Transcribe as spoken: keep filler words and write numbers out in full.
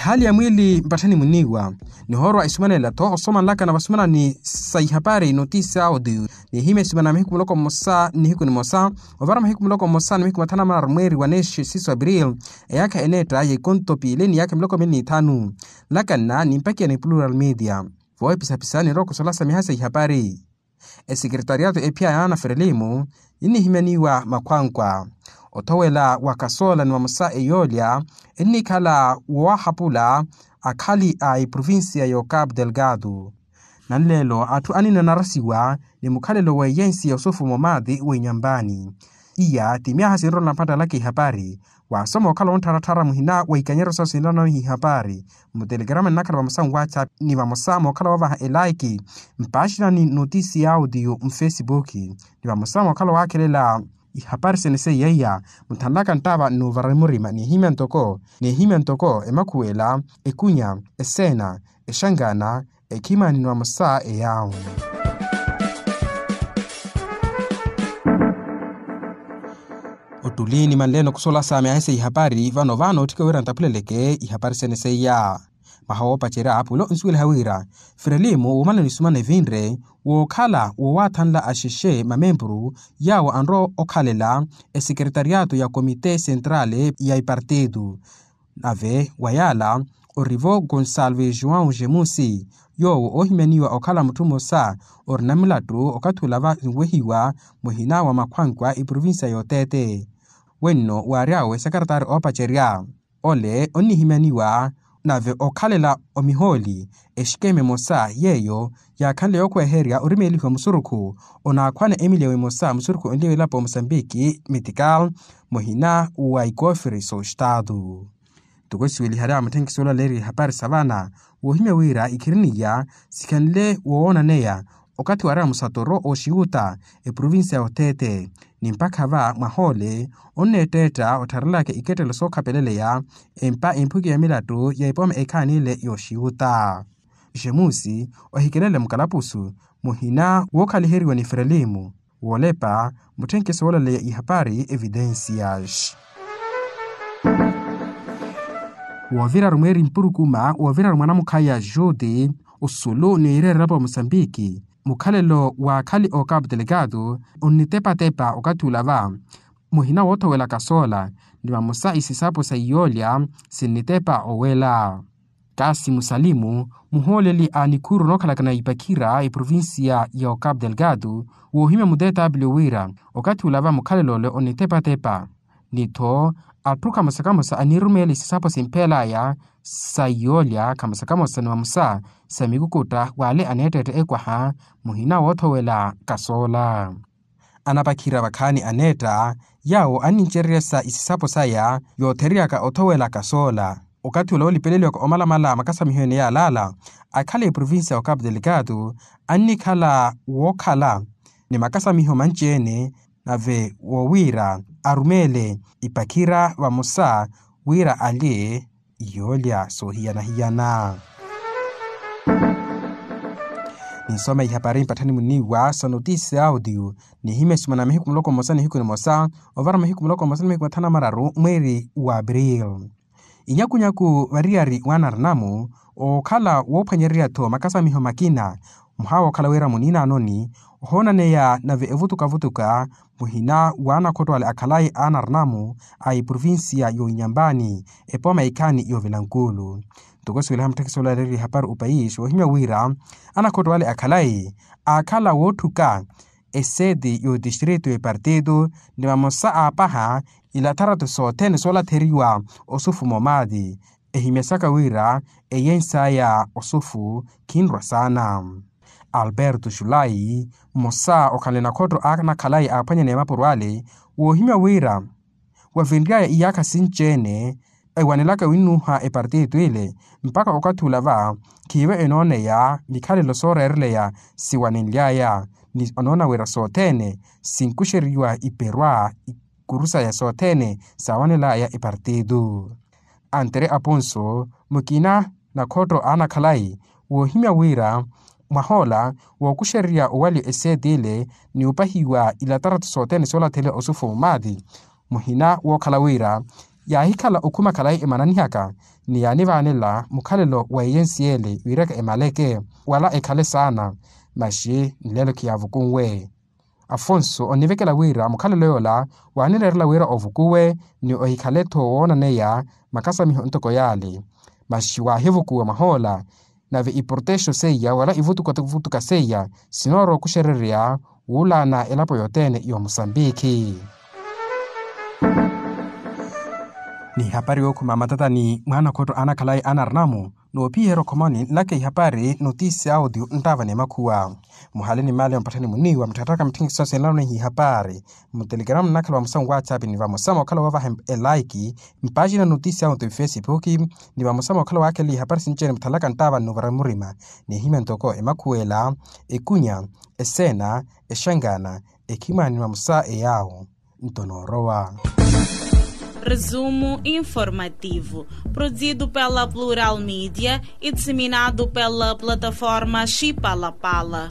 Hali ya mwiili mpatthani muniiwa. Nihoorwa isumanela-tho osomanlaka na vasumanani sa ihapari notisi audio, nihimya isumana mahiku muloko mmosa ni nihiku nimosa, ovara mahiku muloko mmosa ni mahiku mathanu na mararu mweeri wa neexi siso april, eyaakha eneetta ya ikonto piili ni yaakha miloko mili ni ithanu. Nlakanna nimpakiya ni plural media. Voohipisapisa ninrowa okusola sa miha sa ihapari. Esekretariato ephiya ya ana frelimu, ennihimyaniwa makhwankwa. Othowela wa kasoola ni vamosa eyoolya, ennikhala woowahapula akhali a eprovincia ya ocapo delgado. Nanleelo atthu anina anarasiwa ni mukhalelo wa eyensi ya osufu momaati wa inyambani. Iya ti myaha sinrola mpattalaka ihapari. Waasoma okhala wonttharattharya muhina wa ikanyeryo sawo sinlanano ihapari, mutelekerama nnakhala vamosa nwatsapp ni vamosa mookhala woovaha elaiki mpaaxinani notisi ya audio mfesipuki, ni vamosa mookhala waakhelela ihapari sene seiya iya. Mutthanlaka nttaava nnuuvara murima nihimya ntoko nihimya ntoko emakhuwela, ekunya, eseena, exangana, ekhimani ni vamosa eyaawo. Ottuli ni manleeni okusola sa myaha sa ihapari vano vano otthika wira nttaphuleleke ihapari sene seiya. Mwaha woopacerya pulo nsuweliha wira frelimu wuumanani sumana evinre wookhala woowaathanla axexe mamempuru yaawo anrowa okhalela esekretariato ya komite sentrale ya ipartitu. Nave wa yaala orivo gonsalve joão jemusi, yoowo oohimyaniwa okhala mutthu mmosa orina mulattu okathi ula va nwehiwa muhina wa makhwankwa eprovincia y'oteete. Wenno waary'awe sakaratari oopacerya ole onnihimyaniwa nave okhalela omihooli exikeme emosa yeeyo yaakhanle yookhweherya orimeelihiwa musurukhu onaakhwana emiliyawe emosa musurukhu onliya wilapo wa mosambiki metikal muhina wa ikoofiri s'ostaatu. Ntoko esiweliharya mutthenkiso ola leeriye ihapari sa vana woohimya wira ikhiriniya sikhanle woonaneya okathi waarewa musatoro oxiyuta eprovincia y'oteete ni mpakha va mwaha ole onneetteetta ottharelaka ikettelo sookhapeleleya empa emphuki ya milattu ya epooma ekhaani ile y'oxiyuta. Jemusi ohikelele mukalapusu muhina wookhaliheriwa ni frelimu woolepa mutthenkiso woolaleya ihapari evidencias. Wooviraru mweeri mpurukuma woovirari mwanamukhaya juti osulu ni ireerelapo wa mosambiki mukhalelo wa akhali ocapo delgado onnitepatepa okathi ula va muhina woothowela kasoola ni vamosa isisapo sa iyoolya sinnitepa owela. Kasi musalimu muhooleli a nikhuuru nookhalakana ipakhira eprovincia ya ocapo delgado woohimya mutetaapili wira okathi ula va mukhalelo ole onitepatepa ni-tho atthu kamosa kamosa aniirumeela isisapo simpheel'aya sa iyoolya kamosa kamosa ni vamosa sa mikukutta w'ale aneetteetta ekwaha muhina woothowela kasoola. Anapakhira vakhaani aneetta yaawo annincereryasa isisapo saya yoothereryaka othowela kasoola okathi ula woolipeleliwaka omalamala makasamiho ene yaalaala akhala eprovincia ya ocapo delgado annikhala wookhala ni makasamiho manci-ene nave wowiira arumeele ipakhira vamosa wira alye iyoolya soohiyana-hiyana. Ninsoma ihapari mpatthani muniiwa sa notisi audio nihimya isumana mahiku muloko mmosa nihiku nimosa ovara mahiku muloko mmosa nihiku mathanu na mararu mweeri wa april. Inyakunyaku variyari w'anarinamu ookhala woophwanyererya-tho makasamiho makina muhaawa okhala wira muniinanoni ohoonaneya nave evutukavutuka muhina w'anakhotto ale akhalayi a anarinamu a eprovincia y'oinyambani epooma ikhaani y'ovilankulu. Ntoko siweliha mutthekisi ola aleeriye ihapari opayisi woohimya wira anakhotto ale akhalayi aakhala wootthuka eseeti y'otistrito y'epartitu ni vamosa aapaha ilatharatu sothene soolatheriwa osufu momaati ehimyasaka wira eyensaya osufu khinrwa saana. Alberto julai mmosa okhanle nakhotto anakhalayi aaphwanyaneya mapuro ale woohimya wira wavinry'aya iyaakha sinci-ene ewanelaka winnuha epartitu ile mpakha okathi ula va khiivo enooneya mikhalelo sooreereleya siwanenly'aya ni anoona wira sothene sinkuxeriwa iperwa ikuru saya sothene saawanel'aya epartitu. Antere aponso mukina nakhotto anakhalayi woohimya wira mwah'ola wookuxererya owaliwa eseeti ile ni opahiwa ilatarato sothene soolatheliwa osufu omaati muhina wookhala wira yaahikhala okhuma khalayi emananihaka ni yaanivaanela mukhalelo wa eyensi ele wiiraka emaleke wala ekhale saana. Maxi nlelo khiyaavukunwe. Afonso onivekela wira mukhalelo yoola waanireerela wira ovukuwe ni ohikhale-tho woonaneya makasamiho ntoko yaale. Maxi waahivukuwa mwahoola nave iportexo seiya wala ivutukavutuka seiya sinoorowa okuxererya wuulaana elapo yothene y'omusambikhi. Ni hapari yookhuma matatani mwaana okhotto aanakhalayi anarinamu noophiherya okhomoni nlaka ihapari notisi audio nttaava ni makhuwa. Muhale ni mali ya mpatthani muniiwa mutthattaka mitthingisa senlano ni hihapari mutelegramu nnakhala vamosa nwatsapi ni vamosa mookhala woovaha elaiki mpaaxina notisi audio ifesipuki ni vamosa mookhala waakhelele ihapari sinci-ene muthalaka nttaava nnuuvara murima. Nihimya ntoko emakhuwela, ekunya, eseena, exangana, ekhimani ni vamosa eyaawo. Nto noorowa. Resumo informativo, produzido pela Plural Mídia e disseminado pela plataforma Chipalapala.